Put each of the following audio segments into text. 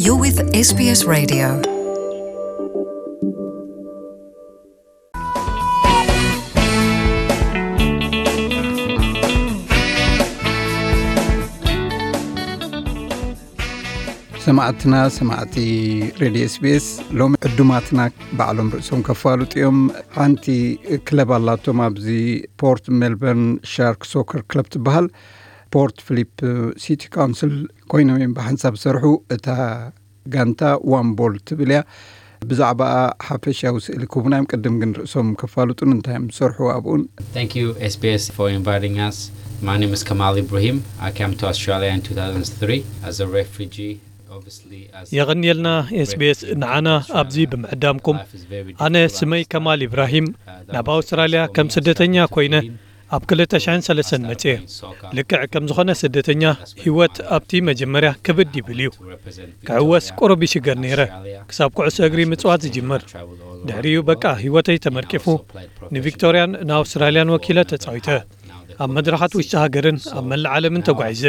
You're with S B S Radio. ሰማዕትና፣ ሰማዕቲ ሬድዮ ኤስቢኤስ፣ ሎሚ ዕዱማትና ባዕሎም ርእሶም ከፋልጡ እዮም። ሓንቲ ክለብ ኣላቶም ኣብዚ ፖርት ሜልበርን ሻርክ ሶከር ክለብ ትበሃል። ፖርት ፊሊፕ ሲቲ ካውንስል ኮይኖም እዮም ብሓንሳብ ዝሰርሑ። እታ ጋንታ ዋን ቦል ትብል እያ። ብዛዕባኣ ሓፈሻዊ ስእሊ ክህቡና እዮም። ቅድም ግን ርእሶም ከፋልጡን እንታይ እዮም ዝሰርሑ ኣብኡን። Thank you, S B S, for inviting us. My name is Kamal Ibrahim. I came to Australia in two thousand three as a refugee, obviously, as የቐንየልና ኤስቢኤስ ንዓና ኣብዚ ብምዕዳምኩም። ኣነ ስመይ ከማል ኢብራሂም፣ ናብ ኣውስትራልያ ከም ስደተኛ ኮይነ ኣብ ክልተ ሽሕን ሰለስተን መጽየ። ልክዕ ከም ዝኾነ ስደተኛ፣ ህይወት ኣብቲ መጀመርያ ክብድ ይብል እዩ። ክዕወስ ቁሩብ ይሽገር ነይረ፣ ክሳብ ኩዕሶ እግሪ ምጽዋት ዝጅምር። ድሕሪኡ በቃ ህይወተይ ተመርቂፉ፣ ንቪክቶርያን ንኣውስትራልያን ወኪለ ተጻዊተ። ኣብ መድረኻት ውሽጢ ሃገርን ኣብ መላእ ዓለምን ተጓዒዘ።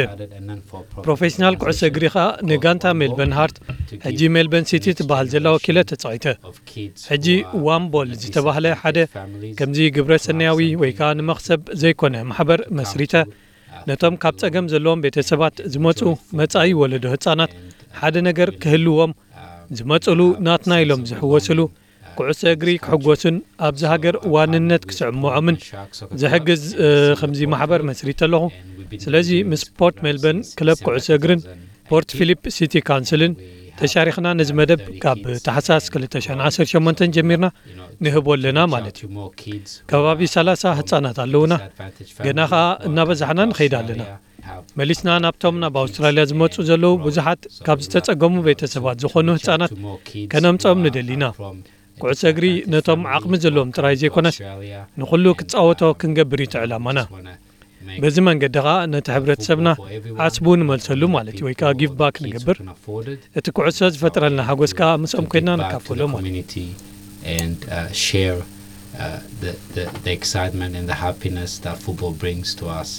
ፕሮፌሽናል ኩዕሶ እግሪ ኸኣ ንጋንታ ሜልበርን ሃርት፣ ሕጂ ሜልበርን ሲቲ ትበሃል ዘላ ወኪለ ተጻዊተ። ሕጂ ዋን ቦል ዝተባህለ ሓደ ከምዚ ግብረ ሰናያዊ ወይ ከኣ ንመኽሰብ ዘይኮነ ማሕበር መስሪተ፣ ነቶም ካብ ጸገም ዘለዎም ቤተሰባት ዝመጹ መጻኢ ወለዶ ህጻናት ሓደ ነገር ክህልዎም፣ ዝመጹሉ ናትና ኢሎም ዝሕወስሉ፣ ኩዕሶ እግሪ ክሕጎሱን ኣብዚ ሃገር ዋንነት ክስዕምዖምን ዝሕግዝ፣ እ፣ ከምዚ ማሕበር መስሪተ ኣለኹ። ስለዚ ምስ ፖርት ሜልበርን ክለብ ኩዕሶ እግርን ፖርት ፊሊፕ ሲቲ ካውንስልን ተሻሪኽና ነዚ መደብ ካብ ታሕሳስ ክልተ ሽሕን ዓሰርተ ሸሞንተን ጀሚርና ንህቦ ኣለና ማለት እዩ። ከባቢ ሰላሳ ህጻናት ኣለውና። ገና ኸኣ እናበዛሕና ንኸይድ ኣለና። መሊስና ናብቶም ናብ ኣውስትራልያ ዝመጹ ዘለዉ ብዙሓት ካብ ዝተጸገሙ ቤተሰባት ዝኾኑ ህጻናት ከነምጽኦም ንደሊና። ኩዕሶ እግሪ ነቶም ዓቕሚ ዘለዎም ጥራይ ዘይኮነስ ንኹሉ ክጻወቶ ክንገብር እዩ እቲ ዕላማና። በዚ መንገዲ ኸኣ ነቲ ሕብረተሰብና ዓስቡ ንመልሰሉ ማለት እዩ፣ ወይ ከኣ ጊቭ ባክ ንገብር። እቲ ኩዕሶ ዝፈጥረልና ሓጎስ ከኣ ምስኦም ኮይና ንካፈሎ ማለት እዩ። community and uh, share uh, the, the, the excitement and the happiness that football brings to us.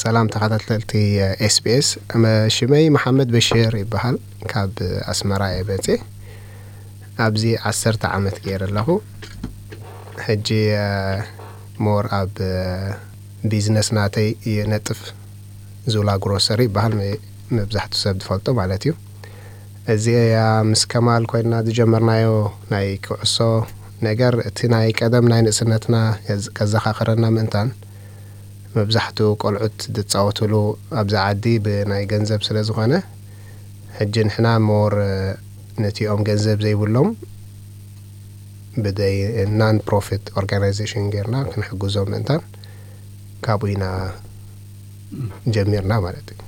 ሰላም ተኸታተልቲ ኤስቢኤስ፣ ሽመይ መሓመድ በሽር ይበሃል። ካብ ኣስመራ እየ መፅየ። ኣብዚ ዓሰርተ ዓመት ገይረ ኣለኹ። ሕጂ ሞር ኣብ ቢዝነስ ናተይ ይነጥፍ። ዙላ ግሮሰሪ ይበሃል፣ መብዛሕቱ ሰብ ዝፈልጦ ማለት እዩ። እዚኣ ምስ ከማል ኮይንና ዝጀመርናዮ ናይ ኩዕሶ ነገር፣ እቲ ናይ ቀደም ናይ ንእስነትና ከዘኻኽረና ምእንታን፣ መብዛሕትኡ ቆልዑት ዝፃወትሉ ኣብዚ ዓዲ ብናይ ገንዘብ ስለ ዝኾነ፣ ሕጂ ንሕና ሞር ነቲኦም ገንዘብ ዘይብሎም ብደይ ናን ፕሮፊት ኦርጋናይዜሽን ጌርና ክንሕግዞም ምእንታን ካብኡ ኢና ጀሚርና ማለት እዩ።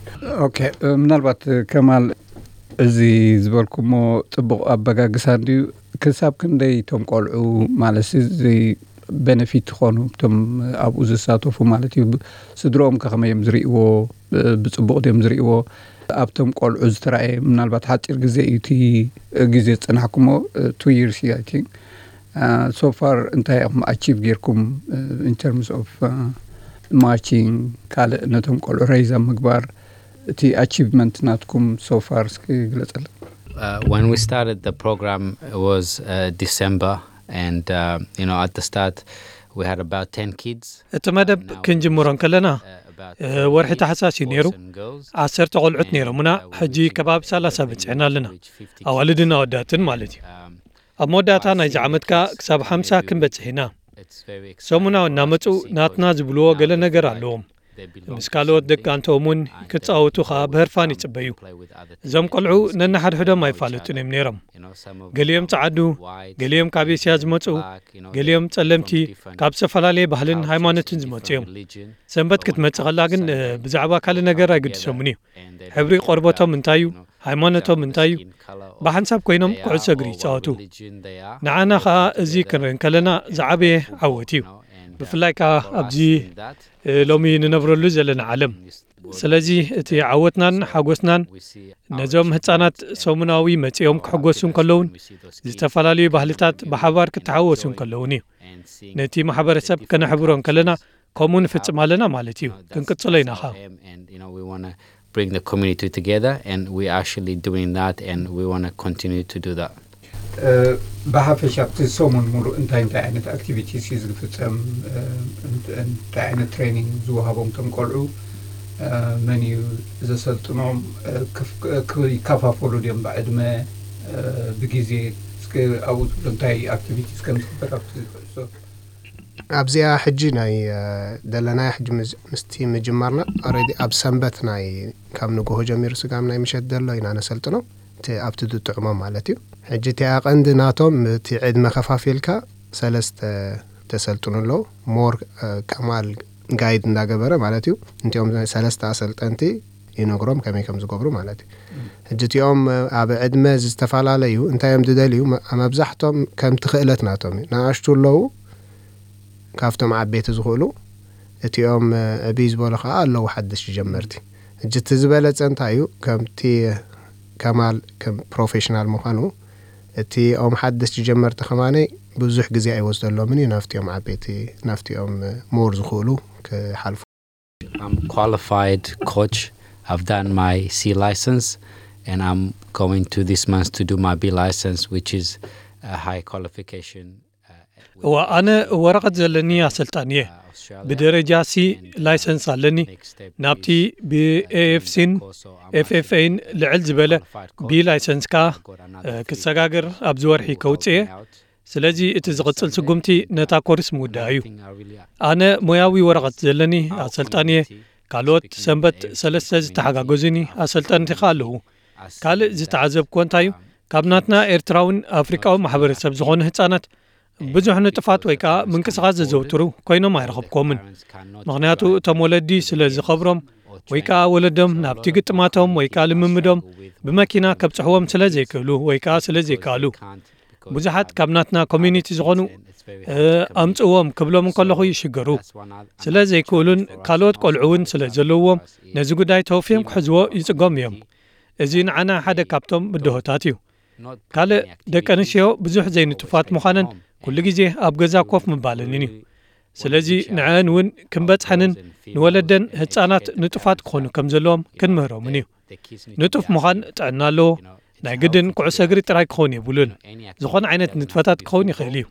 ኦኬ፣ ምናልባት ከማል፣ እዚ ዝበልኩሞ ጽቡቕ ኣበጋግሳ እንድዩ። ክሳብ ክንደይ እቶም ቆልዑ፣ ማለት እዚ ቤነፊት ትኾኑ እቶም ኣብኡ ዝሳተፉ ማለት እዩ? ስድሮኦም ከ ከመይ እዮም ዝርእይዎ? ብጽቡቕ ድዮም ዝርእይዎ? ኣብቶም ቆልዑ ዝተራእየ ምናልባት ሓጺር ግዜ እዩ እቲ ግዜ ዝጸናሕኩሞ፣ ቱ ይርስ እዩ ኣይ ቲንክ። So far እንታይ ኢኹም ኣቺቭ ጌርኩም in terms of ማቺንግ፣ ካልእ ነቶም ቆልዑ ሬይዝ ኣብ ምግባር፣ እቲ ኣቺቭመንት ናትኩም so far እስኪ ግለጸልና። Uh, when we started the program, it was uh, December, and uh, you know, at the start, we had about ten kids. እቲ መደብ ክንጅምሮ እንከለና፣ እ፣ ወርሒ ታሕሳስ እዩ ነይሩ። ዓሰርተ ቆልዑት ነይሮምና፣ ሕጂ ከባቢ ሰላሳ በጺሕና ኣለና። ኣዋልድን ኣወዳትን ማለት እዩ። ኣብ መወዳእታ ናይዚ ዓመት ከኣ ክሳብ ሓምሳ ክንበጽሕ ኢና። ሰሙናዊ እናመጹ ናትና ዝብልዎ ገለ ነገር ኣለዎም። ምስ ካልኦት ደቂ ኣንተኦም እውን ክጻወቱ ከኣ ብህርፋን ይጽበዩ። እዞም ቆልዑ ነንሓድሕዶም ኣይፋለጡን እዮም ነይሮም። ገሊኦም ጸዓዱ፣ ገሊኦም ካብ ኤስያ ዝመጹ፣ ገሊኦም ጸለምቲ፣ ካብ ዝተፈላለየ ባህልን ሃይማኖትን ዝመጹ እዮም። ሰንበት ክትመጽእ ከላ ግን፣ እ፣ ብዛዕባ ካልእ ነገር ኣይግድሶምን እዩ። ሕብሪ ቆርበቶም እንታይ እዩ፣ ሃይማኖቶም እንታይ እዩ፣ ብሓንሳብ ኮይኖም ኩዕሶ እግሪ ይጻወቱ። ንዓና ኸኣ እዚ ክንርኢ እንከለና ዝዓበየ ዓወት እዩ። ብፍላይ ከኣ ኣብዚ፣ እ፣ ሎሚ ንነብረሉ ዘለና ዓለም። ስለዚ እቲ ዓወትናን ሓጎስናን ነዞም ህጻናት ሰሙናዊ መጺኦም ክሕጎሱ እንከለውን፣ ዝተፈላለዩ ባህልታት ብሓባር ክተሓወሱ እንከለውን እዩ። ነቲ ማሕበረሰብ ከነሕብሮ እንከለና ከምኡ ንፍጽም ኣለና ማለት እዩ። ክንቅጽሎ ኢና ኸኣ። And, you know, we want to bring the community together, and we're actually doing that, and we want to continue to do that. ብሓፈሻ ኣብቲ ሰሙን ሙሉእ እንታይ እንታይ ዓይነት ኣክቲቪቲስ እዩ ዝፍፀም? እንታይ ዓይነት ትሬኒንግ ዝወሃቦም ቶም ቆልዑ? መን እዩ ዘሰልጥኖም? ይከፋፈሉ ድዮም ብዕድመ፣ ብግዜ? እስከ ኣብኡ ትብሎ እንታይ ኣክቲቪቲስ ከም ዝግበር ኣብቲ ኩዕሶ? ኣብዚኣ ሕጂ ናይ ደለናያ ሕጂ ምስቲ ምጅማርና ኦረዲ ኣብ ሰንበት ናይ ካብ ንጎሆ ጀሚሩ ስጋብ ናይ ምሸት ዘሎ ኢና ነሰልጥኖም። እቲ ኣብቲ ዝጥዕሞም ማለት እዩ። ሕጂ እቲኣ ቀንዲ ናቶም እቲ ዕድመ ከፋፊልካ ሰለስተ ተሰልጥኑ ኣለዉ። ሞር ከማል ጋይድ እንዳገበረ ማለት እዩ። እንቲኦም ሰለስተ ኣሰልጠንቲ ይነግሮም ከመይ ከም ዝገብሩ ማለት እዩ። ሕጂ እቲኦም ኣብ ዕድመ ዝተፈላለዩ እንታይ እዮም ዝደልዩ? መብዛሕቶም ከምቲ ክእለት ናቶም እዩ። ንኣሽቱ ኣለዉ ካብቶም ዓበይቲ ዝኽእሉ፣ እቲኦም ዕብይ ዝበሉ ከዓ ኣለዉ ሓደሽቲ ጀመርቲ። ሕጂ እቲ ዝበለፀ እንታይ እዩ? ከምቲ ከማል ከም ፕሮፌሽናል ምዃኑ እቲኦም ሓደሽቲ ጀመርቲ ከማነይ ብዙሕ ግዜ ኣይወስደሎምን እዩ ናብቲኦም ዓበይቲ ናብቲኦም ሞር ዝኽእሉ ክሓልፉ። I'm qualified coach. I've done my C license, and I'm going to this month to do my B license, which is a high qualification. እዋ ኣነ ወረቐት ዘለኒ ኣሰልጣን እየ። ብደረጃ ሲ ላይሰንስ ኣለኒ። ናብቲ ብኤኤፍሲን ኤፍኤፍኤን ልዕል ዝበለ ቢ ላይሰንስ ከኣ ክሰጋገር ኣብዚ ወርሒ ከውፅእ እየ። ስለዚ እቲ ዝቕጽል ስጉምቲ ነታ ኮርስ ምውዳእ እዩ። ኣነ ሞያዊ ወረቐት ዘለኒ ኣሰልጣኒ እየ። ካልኦት ሰንበት ሰለስተ ዝተሓጋገዙኒ ኣሰልጠንቲ ከኣ ኣለዉ። ካልእ ዝተዓዘብክዎ እንታይ እዩ? ካብ ናትና ኤርትራውን ኣፍሪቃዊ ማሕበረሰብ ዝኾኑ ህጻናት ብዙሕ ንጥፋት ወይ ከኣ ምንቅስቓስ ዘዘውትሩ ኮይኖም ኣይረኸብክዎምን። ምኽንያቱ እቶም ወለዲ ስለ ዝኸብሮም ወይ ከኣ ወለዶም ናብቲ ግጥማቶም ወይ ከኣ ልምምዶም ብመኪና ከብጽሕዎም ስለ ዘይክእሉ ወይ ከኣ ስለ ዘይከኣሉ ብዙሓት ካብ ናትና ኮሚኒቲ ዝኾኑ ኣምጽእዎም ክብሎም እንከለኹ ይሽገሩ። ስለ ዘይክእሉን ካልኦት ቆልዑ እውን ስለ ዘለውዎም ነዚ ጉዳይ ተወፍዮም ክሕዝዎ ይጽገሙ እዮም። እዚ ንዓና ሓደ ካብቶም ብድሆታት እዩ። ካልእ ደቂ ኣንስትዮ ብዙሕ ዘይንጡፋት ምዃነን ኩሉ ግዜ ኣብ ገዛ ኮፍ ምባለንን እዩ። ስለዚ ንዐን እውን ክንበጽሐንን ንወለደን ህጻናት ንጡፋት ክኾኑ ከም ዘለዎም ክንምህሮምን እዩ። ንጡፍ ምዃን ጥዕና ኣለዎ። ናይ ግድን ኩዕሶ እግሪ ጥራይ ክኸውን የብሉን። ዝኾነ ዓይነት ንጥፈታት ክኸውን ይኽእል እዩ።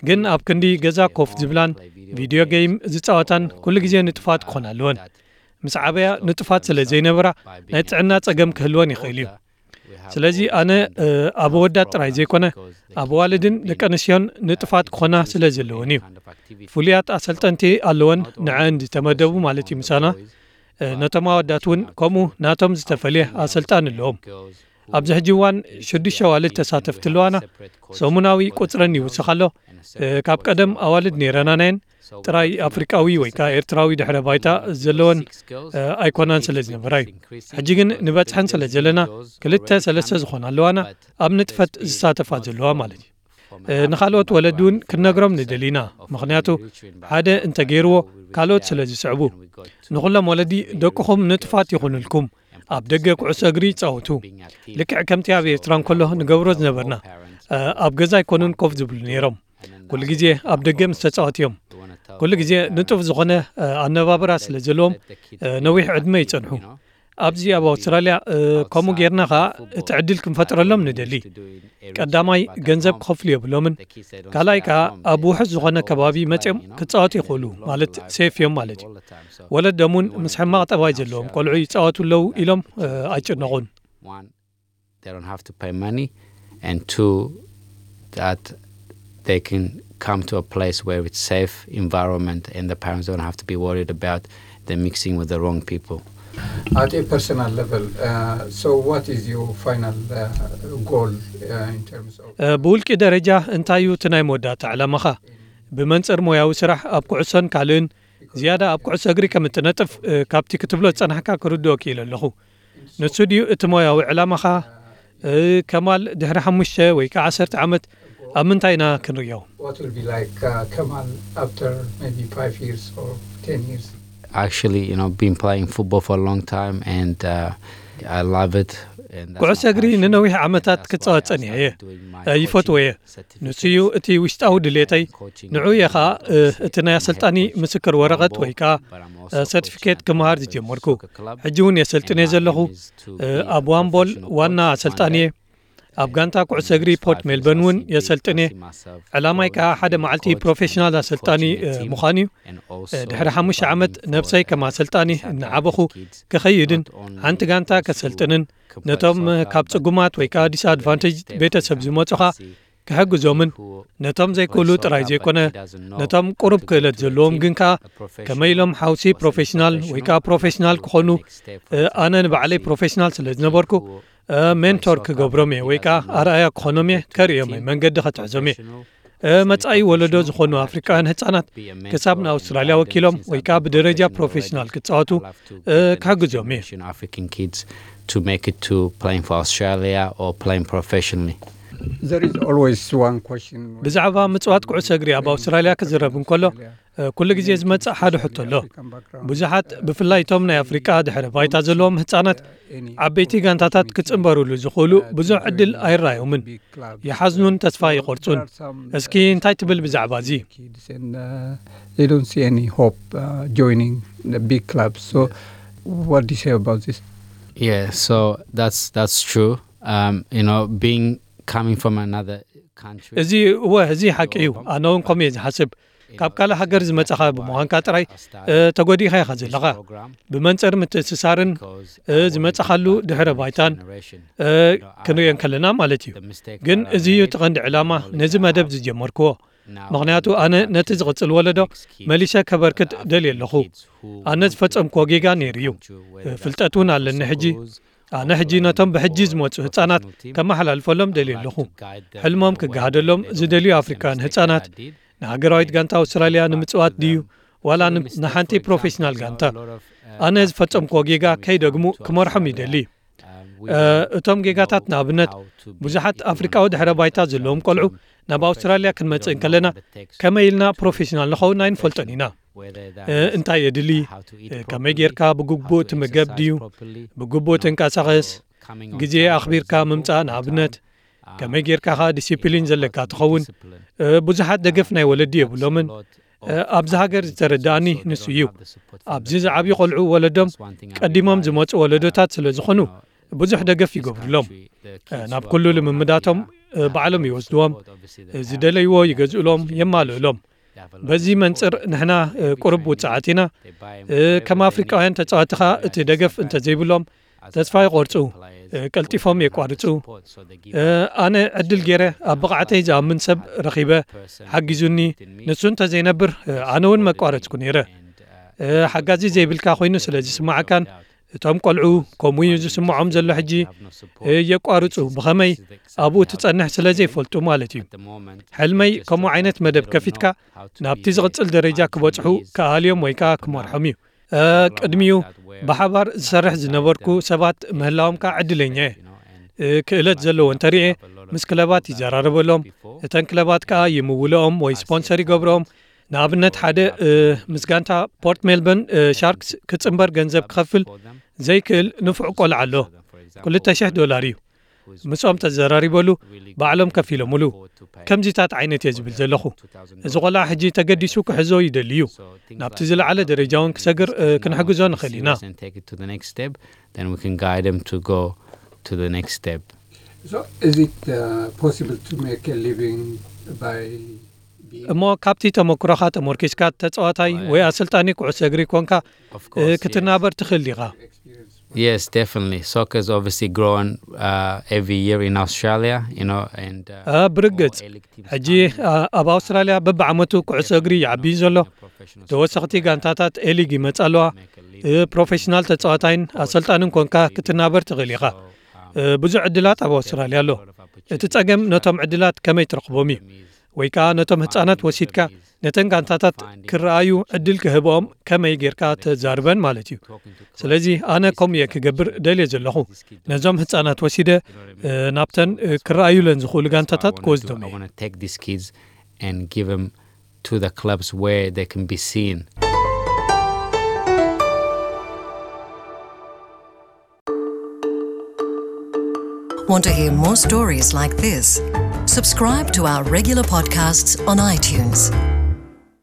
ግን ኣብ ክንዲ ገዛ ኮፍ ዝብላን ቪድዮ ጌም ዝጻወታን ኩሉ ግዜ ንጡፋት ክኾና ኣለወን። ምስ ዓበያ ንጡፋት ስለ ዘይነበራ ናይ ጥዕና ጸገም ክህልወን ይኽእል እዩ። ስለዚ ኣነ ኣብ ኣወዳት ጥራይ ዘይኮነ ኣብ ኣዋልድን ደቂ ኣንስትዮን ንጡፋት ክኾና ስለ ዘለወን እዩ። ፍሉያት ኣሰልጠንቲ ኣለወን ንዐን ዝተመደቡ ማለት እዩ ምሳና። ነቶም ኣወዳት እውን ከምኡ ናቶም ዝተፈልየ ኣሰልጣኒ ኣለዎም። ኣብዚ ሕጂ እዋን ሽዱሽተ ኣዋልድ ተሳተፍቲ ኣለዋና። ሰሙናዊ ቁጽረን ይውስኽ ኣሎ። ካብ ቀደም ኣዋልድ ነይረናናየን ጥራይ ኣፍሪቃዊ ወይ ከዓ ኤርትራዊ ድሕረ ባይታ ዘለወን ኣይኮናን ስለ ዝነበራ እዩ። ሕጂ ግን ንበጽሐን ስለ ዘለና ክልተ ሰለስተ ዝኾና ኣለዋና ኣብ ንጥፈት ዝሳተፋ ዘለዋ ማለት እዩ። ንኻልኦት ወለዲ እውን ክንነግሮም ንደሊ ኢና። ምኽንያቱ ሓደ እንተገይርዎ ካልኦት ስለ ዝስዕቡ። ንኹሎም ወለዲ ደቅኹም ንጥፋት ይኹንልኩም። ኣብ ደገ ኩዕሶ እግሪ ይጻወቱ። ልክዕ ከምቲ ኣብ ኤርትራ እንከሎ ንገብሮ ዝነበርና። ኣብ ገዛ ኣይኮኑን ኮፍ ዝብሉ ነይሮም። ኩሉ ግዜ ኣብ ደገ ምስ ተጻወቱ እዮም። ኩሉ ግዜ ንጡፍ ዝኾነ ኣነባብራ ስለ ዘለዎም ነዊሕ ዕድመ ይጸንሑ። ኣብዚ ኣብ ኣውስትራልያ ከምኡ ጌርና ኸኣ እቲ ዕድል ክንፈጥረሎም ንደሊ። ቀዳማይ ገንዘብ ክኸፍሉ የብሎምን። ካልኣይ ከኣ ኣብ ውሑስ ዝኾነ ከባቢ መጺኦም ክጻወቱ ይኽእሉ ማለት ሴፍ እዮም ማለት እዩ። ወለዶም እውን ምስ ሕማቕ ጠባይ ዘለዎም ቆልዑ ይጻወቱ ኣለዉ ኢሎም ኣይጭነቑን። They don't have to pay money, and two, that they can come to a place where it's safe environment and the parents don't have to be worried about the mixing with the wrong people. At a personal level, uh, so what is your final uh, goal uh, in terms of? ብውልቂ ደረጃ እንታይ እዩ እቲ ናይ መወዳእታ ዕላማኻ? ብመንጽር ሞያዊ ስራሕ ኣብ ኩዕሶን ካልእን ዝያዳ ኣብ ኩዕሶ እግሪ ከም እትነጥፍ ካብቲ ክትብሎ ዝጸናሕካ ክርድኦ ክኢለ ኣለኹ። ንሱ ድዩ እቲ ሞያዊ ዕላማኻ? ከማል ድሕሪ ሓሙሽተ ወይ ከዓ ዓሰርተ ዓመት ኣብ ምንታይ ኢና ክንርእዮ? What will be like uh, Kamal after maybe five years or ten years? Actually, you know, been playing football for a long time, and uh, I love it. ኩዕሶ እግሪ ንነዊሕ ዓመታት ክጻወት ጸኒሐ እየ። ይፈትዎ እየ። ንሱ እዩ እቲ ውሽጣዊ ድሌተይ። ንዑ እየ ኸኣ እቲ ናይ ኣሰልጣኒ ምስክር ወረቐት ወይ ከኣ ሰርቲፊኬት ክምሃር ዝጀመርኩ። ሕጂ እውን የሰልጥን እየ ዘለኹ። ኣብ ዋምቦል ዋና ኣሰልጣኒ እየ። ኣብ ጋንታ ኩዕሶ እግሪ ፖርት ሜልበርን እውን የሰልጥን እየ። ዕላማይ ከኣ ሓደ መዓልቲ ፕሮፌሽናል ኣሰልጣኒ ምዃን እዩ። ድሕሪ ሓሙሽተ ዓመት ነብሰይ ከም ኣሰልጣኒ እናዓበኹ ክኸይድን ሓንቲ ጋንታ ከሰልጥንን ነቶም ካብ ጽጉማት ወይ ከኣ ዲስኣድቫንቴጅ ቤተሰብ ዝመጹኻ ክሕግዞምን ነቶም ዘይክእሉ ጥራይ ዘይኮነ ነቶም ቁሩብ ክእለት ዘለዎም ግን ከኣ ከመይ ኢሎም ሓውሲ ፕሮፌሽናል ወይ ከኣ ፕሮፌሽናል ክኾኑ ኣነ ንባዕለይ ፕሮፌሽናል ስለ ዝነበርኩ ሜንቶር ክገብሮም እየ ወይ ከኣ ኣርኣያ ክኾኖም እየ ከርእዮም እየ መንገዲ ከትሕዞም እየ። መጻኢ ወለዶ ዝኾኑ ኣፍሪቃውያን ህጻናት ክሳብ ንኣውስትራልያ ወኪሎም ወይ ከኣ ብደረጃ ፕሮፌሽናል ክጻወቱ ክሕግዞም እየ። African kids to make it to playing for Australia or playing professionally. There is always one question. ብዛዕባ ምጽዋት ኩዕሶ እግሪ ኣብ ኣውስትራልያ ክዝረብ እንከሎ ኩሉ ግዜ ዝመጽእ ሓደ ሕቶ ኣሎ። ብዙሓት ብፍላይ እቶም ናይ ኣፍሪቃ ድሕረ ባይታ ዘለዎም ህጻናት ዓበይቲ ጋንታታት ክጽንበሩሉ ዝኽእሉ ብዙሕ ዕድል ኣይረኣዮምን። ይሓዝኑን ተስፋ ይቆርጹን። እስኪ እንታይ ትብል ብዛዕባ እዚ? They don't see any hope uh, joining the big clubs. So, what do you say about this? Yeah, so that's that's true. Um, you know, being coming from another country. እዚ እወ እዚ ሓቂ እዩ። ኣነ እውን ከምኡ እየ ዝሓስብ። ካብ ካልእ ሃገር ዝመጻኻ ብምዃንካ ጥራይ ተጎዲኻ ኢኻ ዘለኻ። ብመንጽር ምትእስሳርን ዝመጻኻሉ ድሕረ ባይታን ክንሪኦ እንከለና ማለት እዩ። ግን እዚ እዩ እቲ ቀንዲ ዕላማ ነዚ መደብ ዝጀመርክዎ። ምኽንያቱ ኣነ ነቲ ዝቕጽል ወለዶ መሊሰ ከበርክት ደልየ ኣለኹ። ኣነ ዝፈጸምክዎ ጌጋ ነይሩ እዩ። ፍልጠት እውን ኣለኒ ሕጂ። ኣነ ሕጂ ነቶም ብሕጂ ዝመጹ ህጻናት ከመሓላልፈሎም ደልየ ኣለኹ። ሕልሞም ክገሃደሎም ዝደልዩ ኣፍሪካውያን ህጻናት ንሃገራዊት ጋንታ ኣውስትራልያ ንምጽዋት ድዩ ዋላ ንሓንቲ ፕሮፌሽናል ጋንታ? ኣነ ዝፈጸምክዎ ጌጋ ከይደግሙ ክመርሖም ይደሊ። እቶም ጌጋታት ንኣብነት ብዙሓት ኣፍሪቃዊ ድሕረ ባይታ ዘለዎም ቆልዑ ናብ ኣውስትራልያ ክንመጽእ እንከለና ከመይ ኢልና ፕሮፌሽናል ንኸውን ኣይንፈልጦን ኢና። እንታይ የድሊ? ከመይ ጌርካ ብግቡእ ትምገብ ድዩ? ብግቡእ ትንቀሳቐስ? ግዜ ኣኽቢርካ ምምጻእ ንኣብነት ከመይ ጌርካ ኸኣ ዲሲፕሊን ዘለካ ትኸውን? ብዙሓት ደገፍ ናይ ወለዲ የብሎምን። ኣብዚ ሃገር ዝተረዳእኒ ንሱ እዩ። ኣብዚ ዝዓብዩ ቆልዑ ወለዶም ቀዲሞም ዝመጹ ወለዶታት ስለ ዝኾኑ ብዙሕ ደገፍ ይገብሩሎም። ናብ ኩሉ ልምምዳቶም ባዕሎም ይወስድዎም። ዝደለይዎ ይገዝእሎም፣ የማልእሎም። በዚ መንጽር ንሕና ቁሩብ ውጽዓት ኢና። ከም ኣፍሪቃውያን ተጻዋትኻ እቲ ደገፍ እንተዘይብሎም ተስፋ ይቆርጹ፣ ቀልጢፎም የቋርጹ። ኣነ ዕድል ገይረ ኣብ ብቕዓተይ ዝኣምን ሰብ ረኺበ ሓጊዙኒ። ንሱ እንተዘይነብር ኣነ እውን መቋረጽኩ ነይረ። ሓጋዚ ዘይብልካ ኮይኑ ስለ ዝስማዓካን እቶም ቆልዑ ከምኡ እዩ ዝስምዖም ዘሎ ሕጂ የቋርጹ። ብኸመይ ኣብኡ ትጸንሕ ስለ ዘይፈልጡ ማለት እዩ። ሕልመይ ከምኡ ዓይነት መደብ ከፊትካ ናብቲ ዝቕጽል ደረጃ ክበጽሑ ክኣልዮም ወይ ከኣ ክመርሖም እዩ። ቅድሚኡ ብሓባር ዝሰርሕ ዝነበርኩ ሰባት ምህላዎም ከኣ ዕድለኛ እየ። ክእለት ዘለዎ እንተርኤ ምስ ክለባት ይዘራረበሎም። እተን ክለባት ከኣ ይምውልኦም ወይ ስፖንሰር ይገብርኦም። ንኣብነት ሓደ ምስ ጋንታ ፖርት ሜልበርን ሻርክስ ክጽንበር ገንዘብ ክኸፍል ዘይክእል ንፉዕ ቆልዓ ኣሎ። ክልተ ሽሕ ዶላር እዩ። ምስኦም ተዘራሪበሉ ባዕሎም ከፊሎምሉ። ከምዚታት ዓይነት እየ ዝብል ዘለኹ። እዚ ቆልዓ ሕጂ ተገዲሱ ክሕዞ ይደሊ እዩ። ናብቲ ዝለዓለ ደረጃ እውን ክሰግር ክንሕግዞ ንኽእል ኢና። Then we can guide them to go to the next step. So, is it uh, possible to make a living by being እሞ ካብቲ ተመክሮኻ ተመርኪስካ ተጻዋታይ ወይ ኣሰልጣኒ ኩዕሶ እግሪ ኮንካ ክትናበር ትኽእል ዲኻ? Yes, definitely. Soccer's obviously grown uh, every year in Australia, you know, and uh, ብርግጽ ሕጂ ኣብ ኣውስትራልያ በብዓመቱ ኩዕሶ እግሪ ይዓቢ እዩ ዘሎ። ተወሰኽቲ ጋንታታት ኤሊግ ይመጻ ኣለዋ። ፕሮፌሽናል ተጻዋታይን ኣሰልጣንን ኮንካ ክትናበር ትኽእል ኢኻ። ብዙሕ ዕድላት ኣብ ኣውስትራልያ ኣሎ። እቲ ጸገም ነቶም ዕድላት ከመይ ትረኽቦም እዩ። ወይ ከኣ ነቶም ህጻናት ወሲድካ ነተን ጋንታታት ክረኣዩ ዕድል ክህብኦም ከመይ ጌርካ ተዛርበን ማለት እዩ። ስለዚ ኣነ ከምኡ እየ ክገብር ደልየ ዘለኹ። ነዞም ህጻናት ወሲደ ናብተን ክረኣዩለን ዝኽእሉ ጋንታታት ክወስዶም እየ። Take these kids and give them to the clubs where they can be seen. Want to hear more stories like this? Subscribe to our regular podcasts on iTunes.